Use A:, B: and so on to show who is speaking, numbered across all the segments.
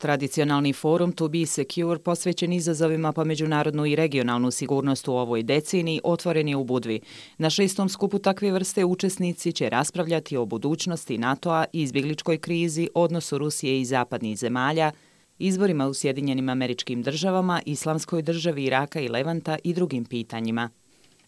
A: Tradicionalni forum To Be Secure posvećen izazovima po međunarodnu i regionalnu sigurnost u ovoj deceniji otvoren je u Budvi. Na 6. skupu takve vrste učesnici će raspravljati o budućnosti NATO-a, izbjegličkoj krizi, odnosu Rusije i zapadnih zemalja, izborima u Sjedinjenim Američkim Državama, Islamskoj državi Iraka i Levanta i drugim pitanjima.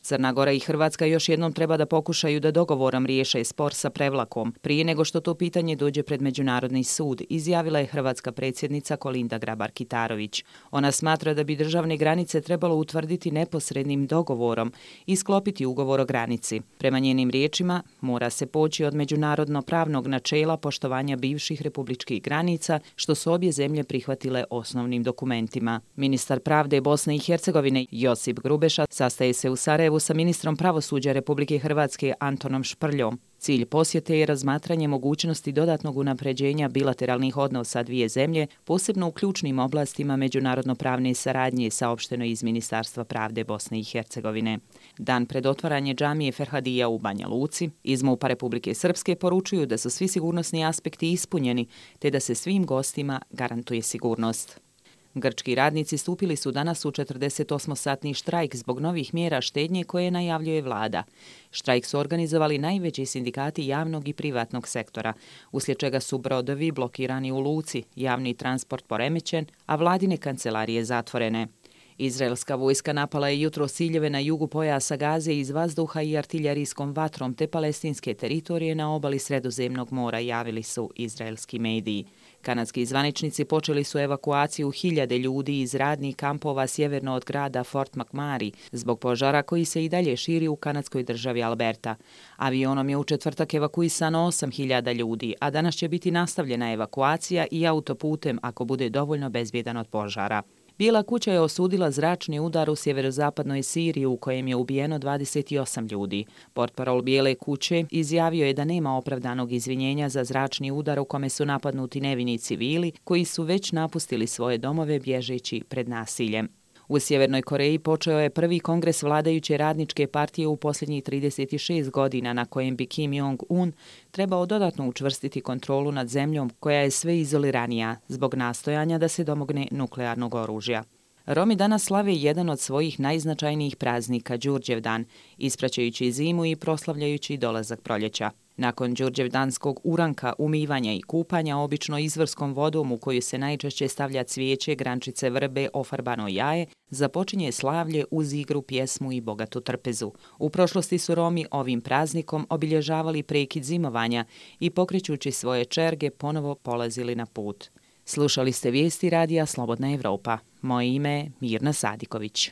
A: Crna Gora i Hrvatska još jednom treba da pokušaju da dogovorom riješe spor sa Prevlakom, prije nego što to pitanje dođe pred Međunarodni sud, izjavila je hrvatska predsjednica Kolinda Grabar-Kitarović. Ona smatra da bi državne granice trebalo utvrditi neposrednim dogovorom i sklopiti ugovor o granici. Prema njenim riječima, mora se poći od međunarodno-pravnog načela poštovanja bivših republičkih granica, što su obje zemlje prihvatile osnovnim dokumentima. Ministar pravde Bosne i Hercegovine Josip Grubeša sastaje se u Sarajevu sa ministrom pravosuđa Republike Hrvatske Antonom Šprljom. Cilj posjete je razmatranje mogućnosti dodatnog unapređenja bilateralnih odnosa dvije zemlje, posebno u ključnim oblastima međunarodno-pravne saradnje, saopšteno iz Ministarstva pravde Bosne i Hercegovine. Dan pred otvaranje džamije Ferhadija u Banja Luci, iz MUP-a Republike Srpske poručuju da su svi sigurnosni aspekti ispunjeni, te da se svim gostima garantuje sigurnost. Grčki radnici stupili su danas u 48-satni štrajk zbog novih mjera štednje koje najavljuje vlada. Štrajk su organizovali najveći sindikati javnog i privatnog sektora, uslijed čega su brodovi blokirani u luci, javni transport poremećen, a vladine kancelarije zatvorene. Izraelska vojska napala je jutros ciljeve na jugu pojasa Gaze iz vazduha i artiljerijskom vatrom te palestinske teritorije na obali Sredozemnog mora, javili su izraelski mediji. Kanadski zvaničnici počeli su evakuaciju hiljade ljudi iz radnih kampova sjeverno od grada Fort McMurray zbog požara koji se i dalje širi u kanadskoj državi Alberta. Avionom je u četvrtak evakuisano 8.000 ljudi, a danas će biti nastavljena evakuacija i autoputem ako bude dovoljno bezbjedan od požara. Bijela kuća je osudila zračni udar u sjeverozapadnoj Siriji u kojem je ubijeno 28 ljudi. Portparol Bijele kuće izjavio je da nema opravdanog izvinjenja za zračni udar u kome su napadnuti nevini civili koji su već napustili svoje domove bježeći pred nasiljem. U Sjevernoj Koreji počeo je prvi kongres vladajuće radničke partije u posljednjih 36 godina na kojem bi Kim Jong-un trebao dodatno učvrstiti kontrolu nad zemljom koja je sve izoliranija zbog nastojanja da se domogne nuklearnog oružja. Romi danas slave jedan od svojih najznačajnijih praznika, Đurđevdan, ispraćajući zimu i proslavljajući dolazak proljeća. Nakon đurđevdanskog uranka, umivanja i kupanja obično izvorskom vodom u koju se najčešće stavlja cvijeće, grančice vrbe, ofarbano jaje, započinje slavlje uz igru, pjesmu i bogatu trpezu. U prošlosti su Romi ovim praznikom obilježavali prekid zimovanja i pokrećući svoje čerge ponovo polazili na put. Slušali ste vijesti radija Slobodna Evropa. Moje ime je Mirna Sadiković.